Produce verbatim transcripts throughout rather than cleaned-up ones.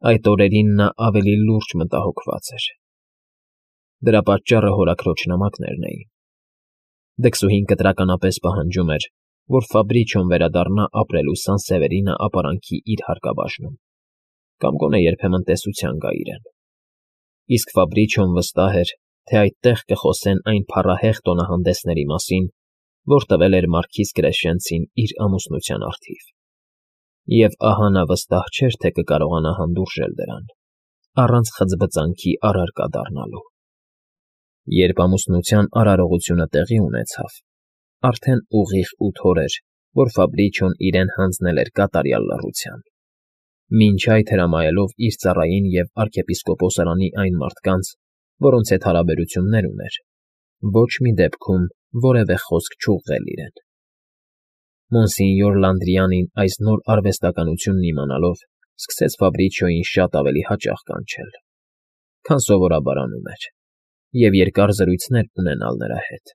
Այդ օրերին նա ավելի լուրջ մտահոգված էր. դրա պատճառը հորաքրոջ նամակներն էին։ Դքսուհին կտրականապես պահանջում էր, որ Ֆաբրիչոն վերադառնա ապրելու Սան Սևերինը ապարանքի իր հարկաբաժնում, կամ գոնե երբեմն տեսության գա իրեն։ Իսկ Ֆաբրիչոն վստահ էր, թե այդտեղ կխոսեն այն փառահեղ տոնահանդեսների մասին, որ տվել էր մարքիզ Կրեշենցին իր ամուսնության առթիվ։ Եվ ահա նա վստահ չէր, թե կկարողանա հանդուրժել դրան, առանց խծբծանքի առարկա դառնալու։ Երբ ամուսնության արարողությունը տեղի ունեցավ, արդեն ուղիղ ութ օր էր, որ Ֆաբրիչոն իրեն հանձնել էր կատարյալ լռության, մինչ այդ հրամայելով իր ծառային և arczepiskopos-արանի այն մարդկանց, որոնց հետ հարաբերություններ ուներ, ոչ մի դեպքում որևէ խոսք չուղղել իրեն։ Մոնսինյոր Լանդրիանին այս նոր արվեստականությունն իմանալով սկսեց Ֆաբրիչոյին շատ ավելի հաճախ կանչել, քան սովորաբար անում էր, և երկար զրույցներ ունենալ նրա հետ։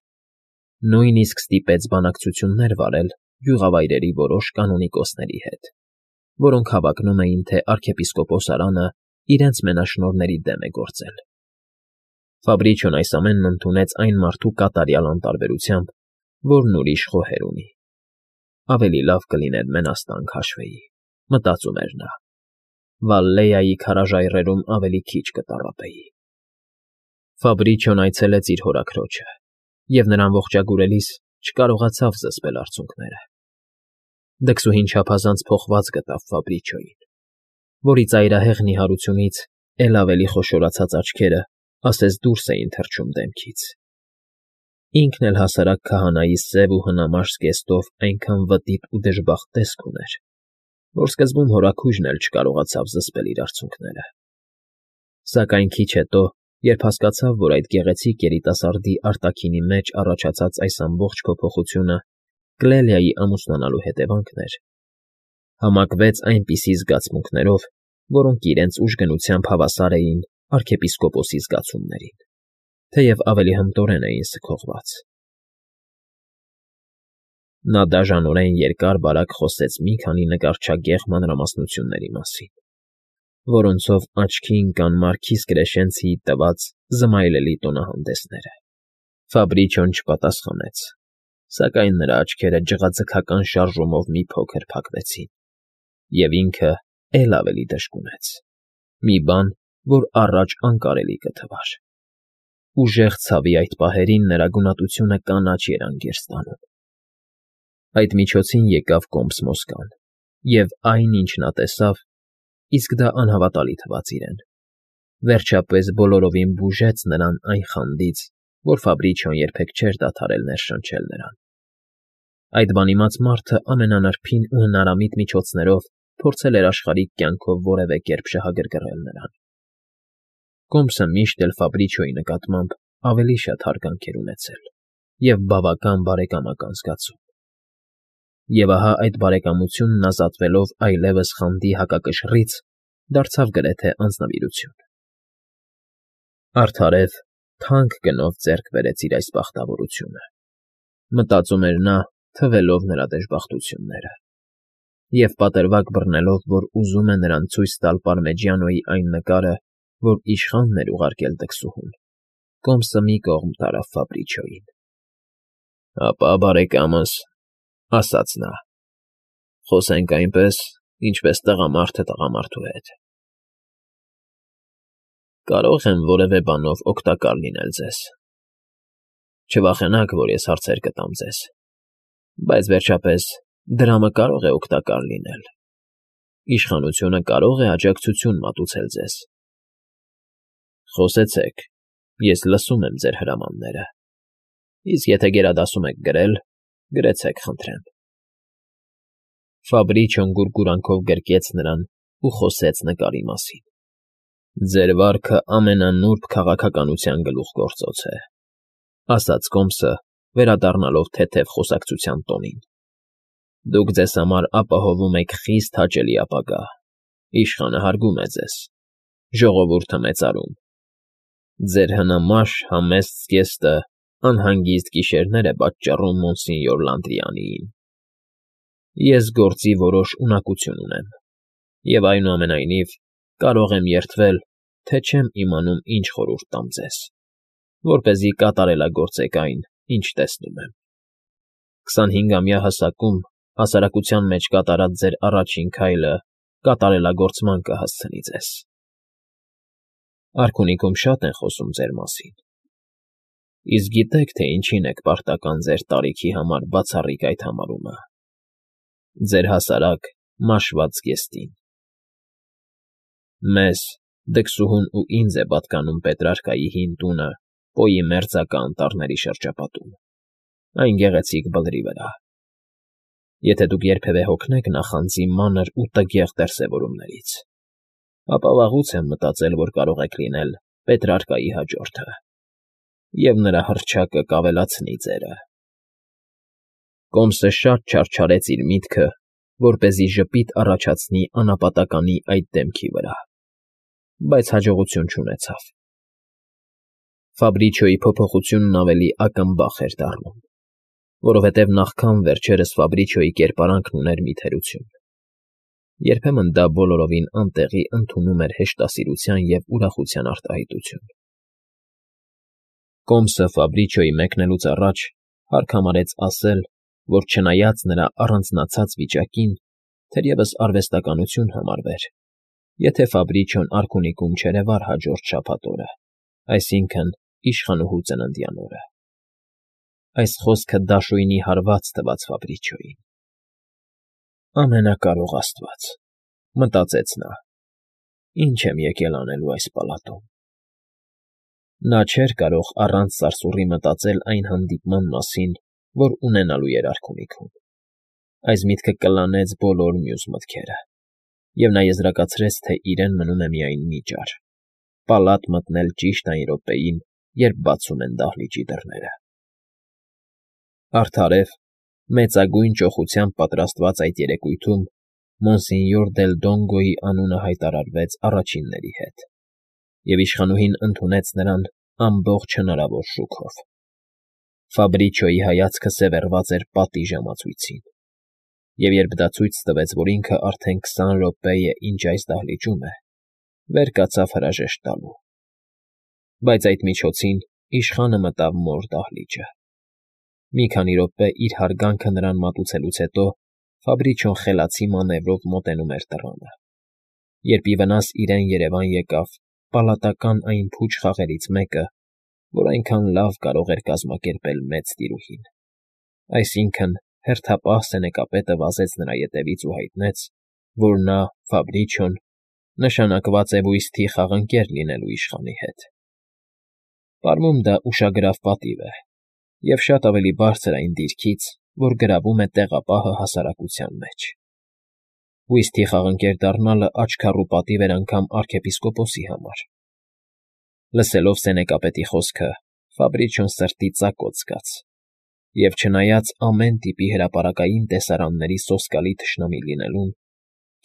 Նույնիսկ ստիպեց բանակցություններ վարել գյուղավայրերի որոշ կանոնիկոսների հետ, որոնք հավակնում էին, թե arczepiskopos-արանը իրենց մենաշնորհների դեմ է գործել։ Ֆաբրիչոն այս ամենն ընդունեց այն մարդու կատարյալ անտարբերությամբ, որն ուրիշ խոհեր ունի։ Ավելի լավ կլիներ մենաստան քաշվեի, մտածում էր նա, Վալլեայի քարաժայռերում ավելի քիչ կտառապեի։ Ֆաբրիչոն այցելեց իր հորաքրոջը և նրան ողջագուրելիս չկարողացավ զսպել արցունքները։ Դքսուհին չափազանց փոխված գտավ Ֆաբրիչոյին, որի ծայրահեղ նիհարությունից էլ ավելի խոշորացած աչքերը ասես դուրս էին թռչում դեմքից։ Ինքն էլ հասարակ քահանայի սև ու հնամաշ զգեստով այնքան վտիտ ու դժբախտ տեսք ուներ, որ սկզբում հորաքույրն էլ չկարողացավ զսպել իր արցունքները։ Սակայն քիչ հետո, երբ հասկացավ, որ այդ գեղեցիկ երիտասարդի արտաքինի մեջ առաջացած այս ամբողջ փոփոխությունը Կլելիայի ամուսնանալու հետևանքն էր, համակվեց այնպիսի զգացմունքներով, որոնք իրենց ուժգնությամբ հավասար էին arczepiskopos-ի զգացումներին, թեև ավելի հմտորեն էին սգողված։ Նա դաժանորեն երկար֊բարակ խոսեց մի քանի նկարչագեղ մանրամասնությունների մասին, որոնցով աչքի ընկան մարքիզ Կրեշենցիի տված զմայլելի տոնահանդեսները։ Ֆաբրիչոն չպատասխանեց, սակայն նրա աչքերը ջղաձգական շարժումով մի փոքր փակվեցին, և ինքը էլ ավելի դժկունեց, մի բան, որ առաջ անկարելի կթվար։ Ուժեղ ցավի այդ պահերին նրա գունատությունը կանաչ երանգ էր ստանում։ Այդ միջոցին եկավ կոմս Մոսկան, և այն, ինչ նա տեսավ, իսկ դա անհավատալի թվաց իրեն, վերջապես բոլորովին բուժեց նրան այն խանդից, որ Ֆաբրիչոն երբեք չէր դադարել ներշնչել նրան։ Այդ բանիմաց մարդը ամենանրբին ու հնարամիտ միջոցներով փորձել էր աշխարհիկ կյանքով որևէ կերպ շահագրգռել նրան։ Կոմսը միշտ էլ Ֆաբրիչոյի նկատմամբ ավելի շատ հարգանք էր ունեցել և բավական բարեկամական զգացում։ Եվ ահա այդ բարեկամությունն ազատվելով այլևս խանդի հակակշռից, դարձավ գրեթե անձնվիրություն։ Արդարև, թանկ գնով ձեռք բերեց իր այս պարտավորությունը, մտածում էր նա, թվելով նրա դժբախտությունները, և պատրվակ բռնելով, որ ուզում է նրան ցույց տալ Պարմեջիանոյի այն նկարը, որ իշխանն էր ուղարկել դքսուհուն, կոմսը մի կողմ տարավ Ֆաբրիչոյին։ ֊ Ապա, բարեկամս,֊ ասաց նա,֊ խոսենք այնպես, ինչպես տղամարդը տղամարդու հետ։ Կարո՞ղ եմ որևէ բանով օգտակար լինել ձեզ։ Չվախենաք, որ ես հարցեր կտամ ձեզ, բայց, վերջապես, դրամը կարող է օգտակար լինել, իշխանությունը կարող է աջակցություն մատուցել ձեզ։ Խոսեցեք, ես լսում եմ ձեր հրամանները, իսկ եթե գերադասում եք գրել, գրեցեք, խնդրեմ։ Ֆաբրիչոն գուրգուրանքով գրկեց նրան ու խոսեց նկարի մասին։ Ձեր վարքը ամենանուրբ քաղաքականության գլուխգործոց է,֊ ասաց կոմսը, վերադառնալով թեթև խոսակցության տոնին։ Դուք ձեզ համար ապահովում եք խիստ հաճելի ապագա, իշխանը հարգում է ձեզ, ժողովուրդը մեծարում։ Ձեր հնամաշ, համեստ զգեստը անհանգիստ գիշերներ է պատճառում Մոնսինյոր Լանդրիանիին։ Ես գործի որոշ ունակություն ունեմ, և այնուամենայնիվ կարող եմ երդվել, թե չեմ իմանում ինչ խորհուրդ տամ ձեզ, որպեսզի կատարելագործեք այն, ինչ տեսնում եմ։ Քսանհինգամյա հասակում հասարակության մեջ կատարած ձեր առաջին քայլը կատարելագործման կհասցնի ձեզ։ Արքունիքում շատ են խոսում ձեր մասին, իսկ գիտեք, թե ինչին եք պարտական ձեր տարիքի համար բացառիկ այդ համարումը։ Ձեր հասարակ մաշված գեստին։ Մեզ, դքսուհուն ու ինձ է պատկանում Պետրարկայի հին տունը Պոյի մերձակա անտառների շրջապատում, այն գեղեցիկ բլրի վրա։ Եթե դուք երբևէ հոգնեք նախանձի մանր ու տգեղ դրսևորումներից, ապա վաղուց եմ մտածել, որ կարող եք լինել Պետրարկայի հաջորդը, և նրա հռչակը կավելացնի ձերը։ Կոմսը շատ չարչարեց իր միտքը, որպեսզի ժպիտ առաջացնի անապատականի այդ դեմքի վրա, բայց հաջողություն չունեցավ։ Ֆաբրիչոյի փոփոխությունն ավելի ակնբախ էր դառնում, որովհետև նախքան վերջերս Ֆաբրիչոյի կերպարանքն ուներ մի թերություն։ Երբեմն դա բոլորովին անտեղի ընդունում էր հեշտասիրության և ուրախության արտահայտություն։ Կոմսը Ֆաբրիչոյի մեկնելուց առաջ հարկ համարեց ասել, որ չնայած նրա առանձնացած վիճակին, թերևս արվեստականություն համարվեր, եթե Ֆաբրիչոն արքունիքում չերևար հաջորդ շաբաթ օրը, այսինքն՝ իշխանուհու ծննդյան օրը։ Այս խոսքը դաշույնի հարված թվաց Ֆաբրիչոյին։ Ամենակարող աստված, մտածեց նա, ի՞նչ եմ եկել անելու այս պալատում։ Նա չէր կարող առանց սարսուռի մտածել այն հանդիպման մասին, որ ունենալու էր արքունիքում։ Այս միտքը կլանեց բոլոր մյուս մտքերը, և նա եզրակացրեց, թե իրեն մնում է միայն մի ճար՝ պալատ մտնել ճիշտ այն րոպեին, երբ բացում են դահլիճի դռները։ Արդարև, մեծագույն ճոխությամբ պատրաստված այդ երեկույթում Մոնսենյոր դել Դոնգոյի անունը հայտարարվեց առաջինների հետ, և իշխանուհին ընդունեց նրան ամբողջ հնարավոր շուքով։ Ֆաբրիչոյի հայացքը սևեռված էր պատի ժամացույցին, և երբ դա ցույց տվեց, որ ինքը արդեն քսան րոպե է, ինչ այս դահլիճում է, վեր կացավ հրաժեշտ տալու։ Բայց այդ միջոցին իշխանը մտավ մոր դահլիճը։ Մի քանի րոպե իր հարգանքը նրան մատուցելուց հետո Ֆաբրիչոն խելացի մանևրով մոտենում էր դռանը, երբ ի վնաս իրեն երևան եկավ պալատական այն փուչ խաղերից մեկը, որ այնքան լավ կարող էր կազմակերպել մեծ տիրուհին, այսինքն՝ հերթապահ սենեկապետը վազեց նրա ետևից ու հայտնեց, որ նա, Ֆաբրիչոն, նշանակված է բույսթի խաղընկեր լինելու իշխանի հետ։ Պարմում դա ուշագրավ պատիվ է և շատ ավելի բարձր այն դիրքից, որ գրավում է տեղապահը հասարակության մեջ։ Բույսթի խաղընկեր դառնալը աչքառու պատիվ էր անգամ արքեպիսկոպոսի համար։ Լսելով սենեկապետի խոսքը, Ֆաբրիչոն սրտի ծակոց զգաց, և չնայած ամեն տիպի հրապարակային տեսարանների սոսկալի թշնամի լինելուն,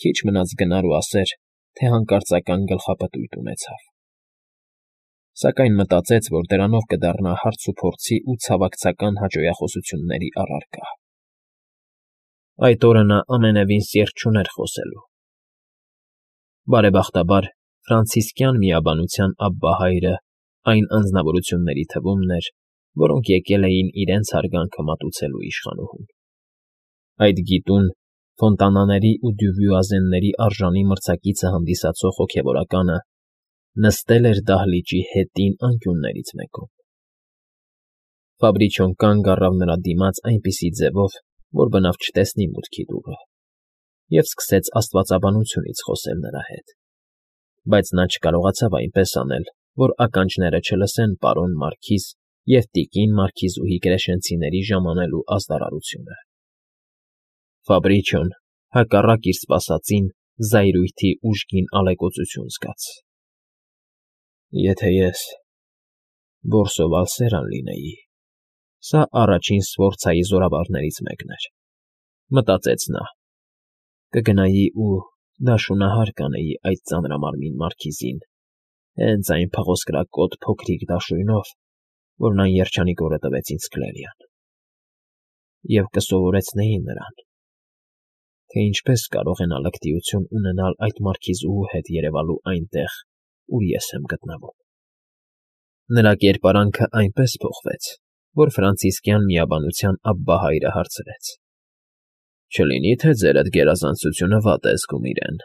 քիչ մնաց գնար ու ասեր, թե հանկարծական գլխապտույտ ունեցավ։ Սակայն մտածեց, որ դրանով կդառնա հարցուփորձի ու ցավակցական հաճոյախոսությունների առարկա։ Այդ օրը նա ամենևին սիրտ չուներ խոսելու։ Բարեբախտաբար, ֆրանցիսկյան միաբանության Աբբա հայրը այն անձնավորությունների թվումն էր, որոնք եկել էին իրենց հարգանքը մատուցելու իշխանուհուն։ Այդ գիտուն Ֆոնտանաների ու Դյուվյուազենների արժանի մրցակիցը հանդիսացող հոգևորականը նստել էր դահլիճի հետին անկյուններից մեկում։ Ֆաբրիչոն կանգ առավ նրա դիմաց այնպիսի ձևով, որ բնավ չտեսնի մուտքի դուռը, և սկսեց աստվածաբանությունից խոսել նրա հետ, բայց նա չկարողացավ այնպես անել, որ ականջները չլսեն պարոն Մարքիզ և տիկին Մարքիզուհի Կրեշենցիների ժամանելու ազդարարությունը։ Ֆաբրիչոն, հակառակ իր սպասածին, զայրույթի ուժգին ալեկոծություն զգաց։ Եթե ես Բորսո Վալսերան լինեի, սա առաջին Սֆորցայի զորավարներից մեկն էր, մտածեց նա, կգնայի ու դաշունահար կանեի այդ ծանրամարմին մարքիզին, հենց այն փղոսկրակոտ փոքրիկ դաշույնով, որն այն երջանիկ օրը տվեց ինձ Կլերիան, և կսովորեցնեի նրան, թե ինչպես կարող են ալեկտիություն ունենալ այդ մարքիզուհու հետ երևալու այնտեղ, ուր ես եմ գտնվում։ Նրա կերպարանքը այնպես փոխվեց, որ ֆրանցիսկյան միաբանության Աբբահայրը հարցրեց. «Չլինի՞ թե ձերդ գերազանցությունը վատ է զգում իրեն»։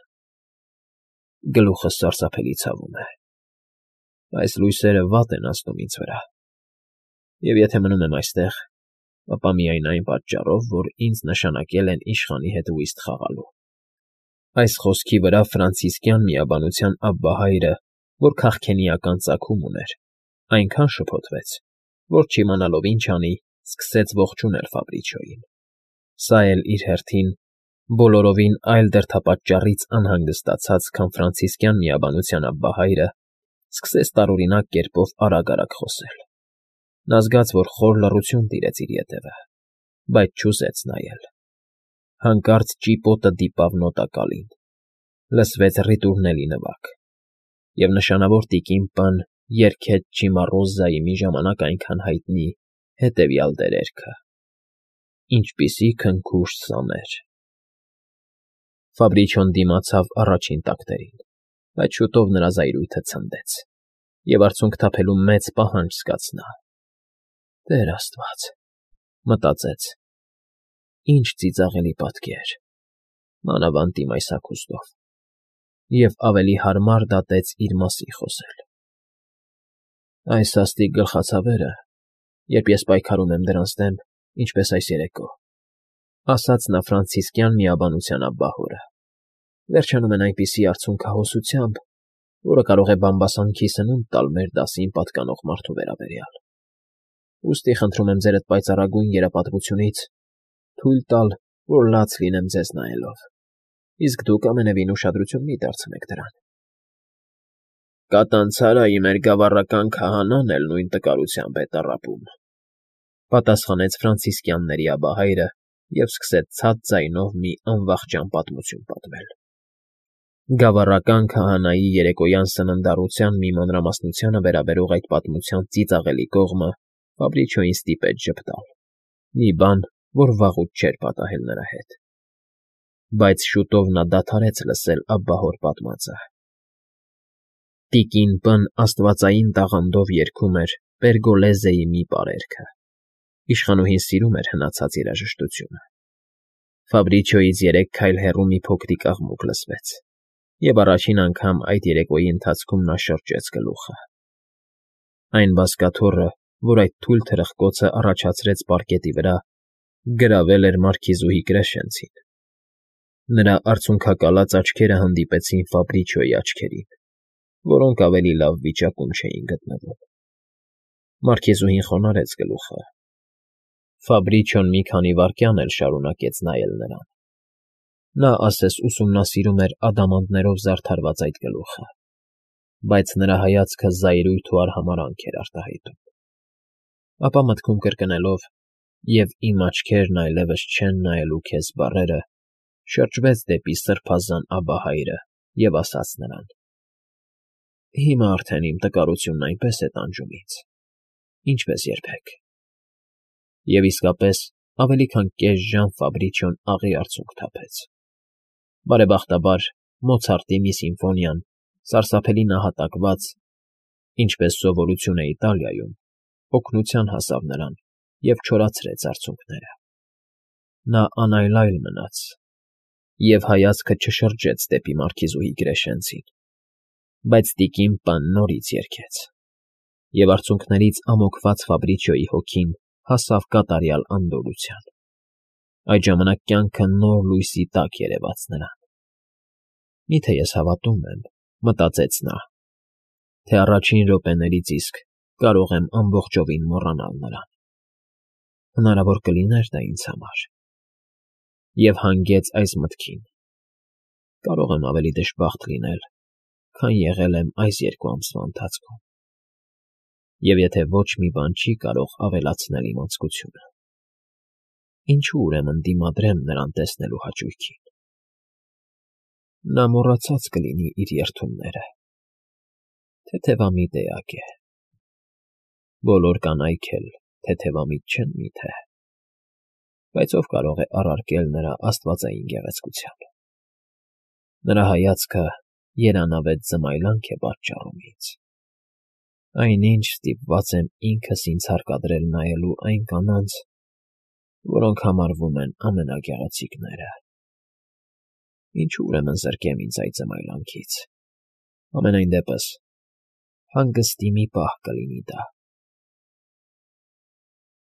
Գլուխս սարսափելի ցավում է։ Այս լույսերը վատ են ազդում ինձ վրա։ Եվ եթե մնում եմ այստեղ, ապա միայն այն պատճառով, որ ինձ նշանակել են իշխանի հետ ուիստ խաղալու։ Այս խոսքի վրա ֆրանցիսկյան միաբանության Աբբահայրը, որ քաղքենիական ծագում ուներ, այնքան շփոթվեց, որ չիմանալով ինչ անի, սկսեց ողջունել Ֆաբրիչոյին։ Սա էլ իր հերթին բոլորովին այլ դրդապատճառից անհանգստացած, քան ֆրանցիսկյան միաբանության Աբբահայրը, սկսեց տարօրինակ կերպով արագ֊արագ խոսել։ Նա զգաց, որ խոր լռություն տիրեց իր ետևը, բայց չուզեց նայել։ Հանկարծ ճիպոտը դիպավ նոտակալին, լսվեց ռիտուրնելի նվագ, և նշանավոր տիկին Պ֊ն երգեց Չիմառոզայի մի ժամանակ այնքան հայտնի հետևյալ դերերքը. «Ինչպիսի քնքուշտ սաներ»։ Ֆաբրիչոն դիմացավ առաջին տակտերին, բայց շուտով նրա զայրույթը ցնդեց, և արցունք թափելու մեծ պահանջ զգաց նա։ «Տեր Աստված», մտածեց, «ինչ ծիծաղելի պատկեր, մանավանդ իմ այս հագուստով», և ավելի հարմար դատեց իր մասին խոսել։ «Այս սաստիկ գլխացավերը, երբ ես պայքարում եմ դրանց դեմ, ինչպես այս երեկո», ասաց նա ֆրանցիսկյան միաբանության աբբահորը, «վերջանում են այնպիսի արցունքահոսությամբ, որը կարող է բամբասանքի սնունդ տալ մեր դասին պատկանող մարդու վերաբերյալ։ Ուստի խնդրում եմ ձերդ պայծառագույն երապատմությունից թույլ տալ, որ լաց լինեմ ձեզ նայելով, իսկ դուք ամենևին ուշադրություն մի դարձնեք դրան»։ «Կատանցարայի մեր գավառական քահանան էլ նույն տկարությամբ է տառապում», պատասխանեց ֆրանցիսկյանների Աբբահայրը և սկսեց ցած ձայնով մի անվախճան պատմություն պատմել։ Գավառական քահանայի երեկոյան սննդառության մի մանրամասնությանը վերաբերող այդ պատմության ծիծաղելի կողմը Ֆաբրիչոյին ստիպեց ժպտալ, մի բան, որ վաղուց չէր պատահել նրա հետ։ Բայց շուտով նա դադարեց լսել աբբահոր պատմածը։ Տիկին Պ֊ն աստվածային տաղանդով երգում էր Պերգոլեզեի մի պարերգը։ Իշխանուհին սիրում էր հնացած երաժշտությունը։ Ֆաբրիչոյից երեք քայլ հեռու մի փոքրիկ աղմուկ լսվեց, և առաջին անգամ այդ երեկոյի ընթացքում նա շրջեց գլուխը։ Այն բազկաթոռը, որ այդ թույլ թրխկոցը առաջացրեց պարկետի վրա, գրավել էր մարքիզուհի Կրեշենցին։ Նրա արցունքակալած աչքերը հանդիպեցին Ֆաբրիչոյի աչքերին, որոնք ավելի լավ վիճակում չէին գտնվում։ Մարքիզուհին խոնարհեց գլուխը։ Ֆաբրիչոն մի քանի վայրկյան էլ շարունակեց նայել նրան։ Նա ասես ուսումնասիրում էր ադամանդներով զարդարված այդ գլուխը, բայց նրա հայացքը զայրույթ ու արհամարհանք էր արտահայտում։ Ապա մտքում կրկնելով «և իմ աչքերն այլևս չեն նայելու քեզ» բառերը, շրջվեց դեպի սրբազան Աբբահայրը և ասաց նրան. «Հիմա արդեն իմ տկարությունն այնպես է տանջում ինձ, ինչպես երբեք»։ Եվ իսկապես, ավելի քան կես ժամ Ֆաբրիչոն աղի արցունք թափեց։ Բարեբախտաբար, Մոցարտի մի սիմֆոնիան, սարսափելի նահատակված, ինչպես սովորություն է Իտալիայում, օգնության հասավ նրան և չորացրեց արցունքները։ Նա անայլայլ մնաց և հայացքը չշրջեց դեպի մարքիզուհի Կրեշենցին, բայց տիկին Պ֊ն նորից երգեց, և արցունքներից ամոքված Ֆաբրիչոյի հոգին հասավ կատարյալ անդորրության։ Այդ ժամանակ կյանքը նոր լույսի տակ երևաց նրան։ «Մի՞թե ես հավատում եմ», մտածեց նա, «թե առաջին րոպեներից իսկ կարող եմ ամբողջովին մոռանալ նրան։ Հնարավոր կլիներ դա ինձ համար»։ Եվ հանգեց այս մտքին. «Կարող եմ ավելի դժբախտ լինել, քան եղել եմ այս երկու ամսվա ընթացքում։ Եվ եթե ոչ մի բան չի կարող ավելացնել իմ անձկությունը, ինչո՞ւ ուրեմն դիմադրեմ նրան տեսնելու հաճույքին։ Նա մոռացած կլինի իր երդումները, թեթևամիտ էակ է։ Բոլոր կանայք էլ թեթևամիտ չեն մի՞թե։ բայց ով կարող է առարկել նրա աստվածային գեղեցկությամբ։ Նրա հայացքը երանավետ զմայլանք է պատճառում ինձ։ Այնինչ ստիպված եմ ինքս ինձ հարկադրել նայելու այն կանանց, որոնք համարվում են ամենագեղեցիկները։ Ինչո՞ւ ուրեմն զրկեմ ինձ այդ զմայլանքից։ Համենայն դեպս, հանգստի մի պահ կլինի դա։